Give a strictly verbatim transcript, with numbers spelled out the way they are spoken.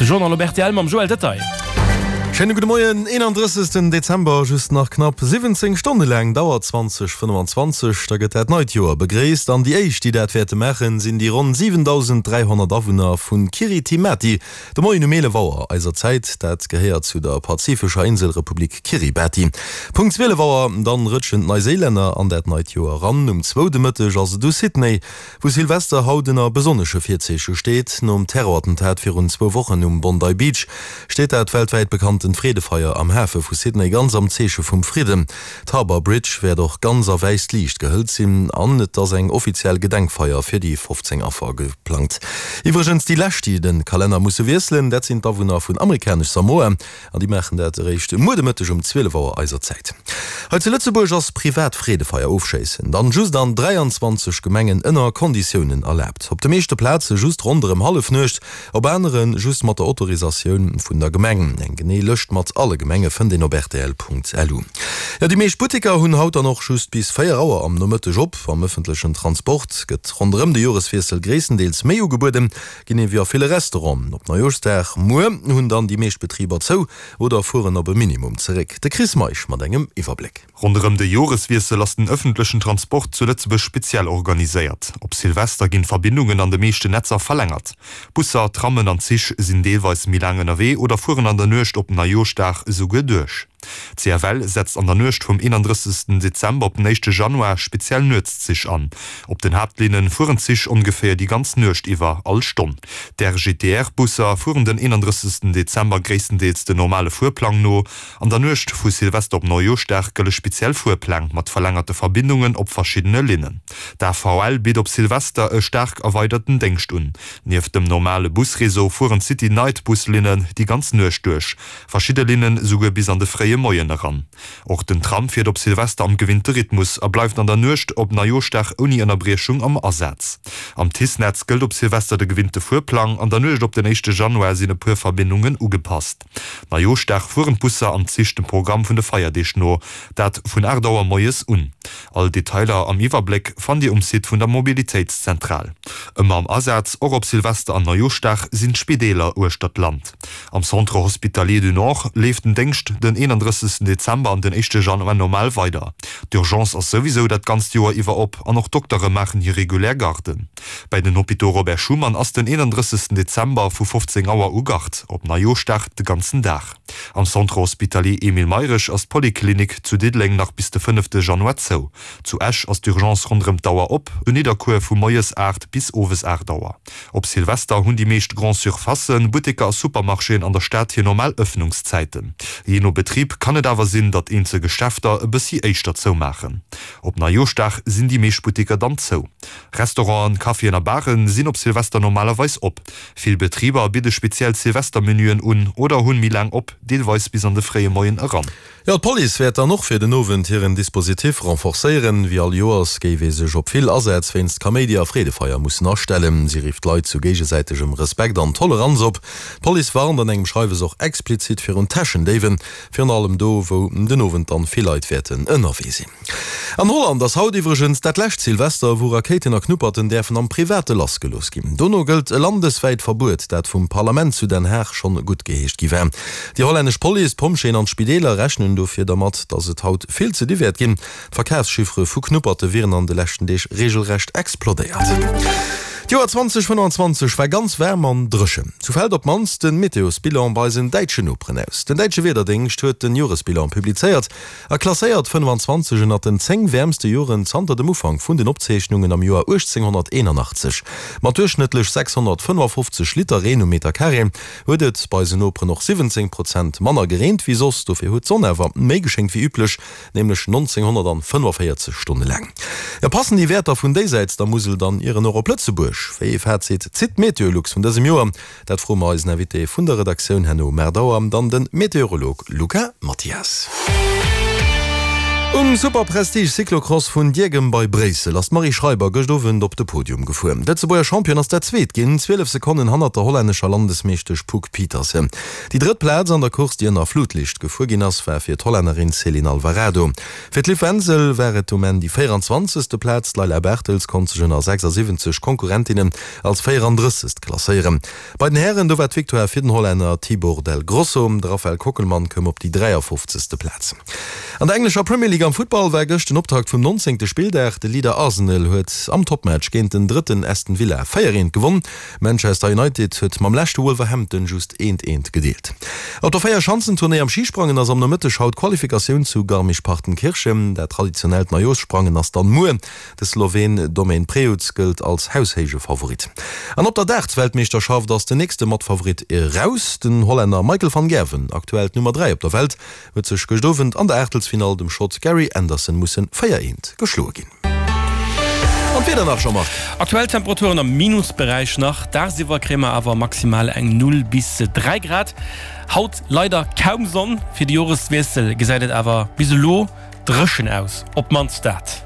De Journal op rtl mam Joël Detaille. Schéine gudde Moien, eenandrëssegsten Dezember, just nach knapp siwwenzéng Stonne laang dauert zwanzeg fënnefenzwanzeg, da gëtt dat neit Joer begréisst. An déi éischt, déi dat wäerte maachen, sinn déi ronn siwentausend dräihonnert Awunner vu Kiritimati. De Moien um eelef Auer eiser Zäit, dat gehéiert zu der pazifescher Inselrepublik Kiribati. Punkt zwielef Auer dann rëtschen d'Neiséilänner an dat neit Joer eran. Um zwou de Mëtteg ass et u Sydney, wou Silvester haut ënner besonnesche Virzeeche steet. Nom Terrorattentat virun zwou Wochen um Bondi Beach steet dat weltwäit bekanntent Freedefeier am Hafe vu Sydney ganz am Zeeche vum Fridden. D'Harbour Bridge wäert och ganz a wäisst Liicht gehëllt sinn an et ass eng offiziell Gedenkfeier fir déi fofzéng Affer geplangt. Iwwregens déi lescht, déi de Kalenner musse wiesselen, dat sinn d'Awunner vun Amerikanesch Samoa an déi maachen dat eréischt muer de Mëtteg um zwielef Auer eiser Zäit. Hei zu Lëtzebuerg ass privat Freedefeier ofschéissen dann just an dräianzwanzeg Gemengen ënner Konditiounen erlaabt. Op de meeschte Plaze just ronderëm Hallefnuecht, op anere just mat der Autorisatioun vun der Gemeng. Eng genee Lëscht mat alle Gemenge fënnt een op rtl Punkt L U. Jo, déi meescht Butteker hunn haut dann och just bis véier Auer am Nomëtteg op. Am ëffentlechen Transport gëtt ronderëm de Joreswiessel gréisstendeels méi ugebueden, genee wéi a ville Restauranten. Op Neijooschdag muer hunn dann déi meescht Betriber zou oder fueren op e Minimum zeréck. De Chris Meisch mat engem Iwwerbléck. Ronderëm de Joreswiessel ass den ëffentlechen Transport zu Lëtzebuerg speziell organiséiert. Op Silvester ginn d'Verbindungen an de meeschten Netzer verlängert. Busser, Trammen an Zich sinn deelweis méi laang ënnerwee oder fueren an der Nuecht op Neijooschdag esouguer duerch. D' C F L setzt an der Nuecht vum eenandrëssegsten Dezember op den éischte Januar speziell Nuetszich an. Op den Haaptlinne fueren d'Zich ongeféier déi ganz Nuecht iwwer all Stonn. D' R G T R-Busser fueren den eenandrëssegsten Dezember gréisstendeels den normale Fuerplang no. An der Nuecht vu Silvester op Neijooschdag gëlle speziell Fuerpläng mat verlängerte Verbindungen op verschiddene Linnen. D' A V L bitt op Silvester e staark erweiderten Déngscht un. Nieft dem normale Busreseau fueren d'City Night Buslinnen déi ganz Nuecht duerch, verschidde Linnen esouguer bis an de fréie Moien eran. Och den Tram fiert op Silvester am gewinnte Rhythmus a bleift an der Nuecht op Neijooschdag ouni Ënnerbriechung am Asaz. Am TICE-Netz gëllt op Silvester de gewinnte Fuerplang, an der Nuecht op den éischte Januar sinn e puer Verbindungen ugepasst. Neijooschdag fueren d'Busser an d'Zich dem Programm vun de Feierdeeg no, dat vun aacht Auer moies un. All Detailer am Iwwerbléck fannt Dir um Site vun der Mobilitéitszentral. Ëmmer am Asaz, och op Silvester an Neijooschdag, sinn d'Spideeler uechter d'Land. Am Centre Hospitalier du Nord leeft den Déngscht den eenandrëssegsten Dezember an den éischte Januar normal weider. D'Urgence ass souwisou dat ganzt Joer iwwer op an och d'Doktere maachen hir regulär Garden. Bei den Hôpitaux Robert Schuman ass den eenandrëssegsten Dezember vu fofzéng Auer u Gard, op Neijooschdag de ganzen Dag. Am Centre Hospitalier Emile Mayrisch ass d'Poliklinik zu Diddeleng nach bis de fënnefte Januar zou. Zu Esch ass d'Urgence ronderëm d'Auer op, zu Nidderkuer vu moies aacht bis owes aacht Auer. Op Silvester hunn déi meescht Grande-Surfacen, Butteker a Supermarchéen an der Stad hir normal Ëffnungszäiten. Jee no Betrib kann et awer sinn, datt eenzel Geschäfter e bëssi éischter zoumaachen. Op Neijooschdag sinn déi meescht Butteker dann zou. Restauranten, Caféen a Baren sinn op Silvester normalerweis op. Vill Betriber bidde speziell Silvestermenüen un oder hunn méi laang op, deelweis bis an de fréie Moien eran. Jo, d'Police wäert dann och fir den Owend hiren Dispositif renforcéieren. Wéi all Joers géif ee sech op vill Asätz wéinst Kaméidi a Freedefeier mussen astellen. Si rifft d'Leit zu géigesäitegem Respekt an Toleranz op. D'Police warnt an engem Schreiwes och explizit virun Täschendéiwen, virun allem do, wou den Owend dann vill Leit wäerten ënnerwee sinn. An Holland ass haut iwwregens dat lescht Silvester, wou Rakéiten a Knupperten däerfen am Private lassgelooss ginn. Dono gëllt e landeswäit Verbuet, dat vum Parlament zu Den Haag schonn guttgeheescht gi war. Déi hollännesch Police, d'Pompjeeën an d'Spideeler rechnen dofir dermat, datt et haut vill ze di wäert ginn. D'Verkafschiffere vu Knupperte wieren an de leschten Deeg reegelrecht explodéiert. D'Joer zwanzeg fënnefenzwanzeg war ganz waarm an dréchen. Sou fält op d'mannst de Meteosbilan bei eisen däitschen Noperen aus. Den däitsche Wiederdéngscht huet den Joresbilan publizéiert a klasséiert fënnefenzwanzeg ënnert den zéng wäermste Joren zanter dem Ufank vun den Opzeechnungen am Joer uechtzénghonnerteenanachtzeg. Mat duerchschnëttlech sechshonnertfënnefafofzeg Liter Reen um Meterkaree huet et bei eisen Noperen och siwwenzéng Prozent manner gereent wéi soss. Dofir huet d'Sonn awer méi geschéngt wéi üblech, nämlech nonzénghonnertfënnefaféierzeg Stonne laang. Jo, passen déi Wäerter vun déisäits der Musel dann ieren och op Lëtzebuerg? Wéi ee Fazit zitt Meteolux vun dësem Joer? Dat froe mer eisen Invité vun der Redaktioun herno um aacht Auer, dann de Meteorolog Luca Mathias. Um Superprestige Cyclocross vun Diegem bei Bréissel ass d'Marie Schreiber gëscht Owend op de Podium gefuer. D'Lëtzebuerger Championne ass dat Zweet ginn, zwielef Sekonnen hannert der hollännescher Landesmeeschtesch Puck Pieterse. Déi drëtt Plaz an der Course, déi ënner Flutlicht gefuer ginn ass, war fir d'Hollännerin Ceylin Alvarado. Fir d'Liv Wenzel war et um Enn déi véieranzwanzegste Plaz. D'Layla Bartels konnt sech ënner sechsasiwwenzeg Konkurrentinnen als véierandrëssegst klasséieren. Bei den Hären, do war d'Victoire fir den Hollänner Tibor del Grosso. De Raphael Kockelmann koum op déi dräiafofzegste Plaz. An der englescher Premier League am Futtball war gëscht den Optakt vum nonzéngte Spilldag. De Leader Arsenal huet am Toppmatch géint den Drëtten Aston Villa véier eent gewonn. Manchester United huet mam Leschte Wolverhampton just eent eent gedeelt. Op der Véierschanzentournée am Schisprangen ass am Nomëtteg haut d'Qualifikatioun zu Garmisch-Partenkirchen. Dat traditionellt Neijooschsprangen ass dann muer. De Sloween Domen Prevc gëllt als haushéije Favorit. An op der Darts-Weltmeeschterschaft ass den nächste Matfavorit eraus. Den Hollänner Michael van Gerwen, aktuell d'Nummer dräi op der Welt, huet sech gëscht Owend an der Aachtelsfinall dem Schott Gary Anderson musse véier eent geschloe ginn. An d'Wieder nach, Jean-Marc? Aktuell Temperaturen am Minusberäich nach, dagsiwwer kréie mer awer maximal eng null bis dräi Grad. Haut leider kaum Sonn, fir de Joreswiessel gesäit et awer bis elo dréchen aus, op d'mannst dat.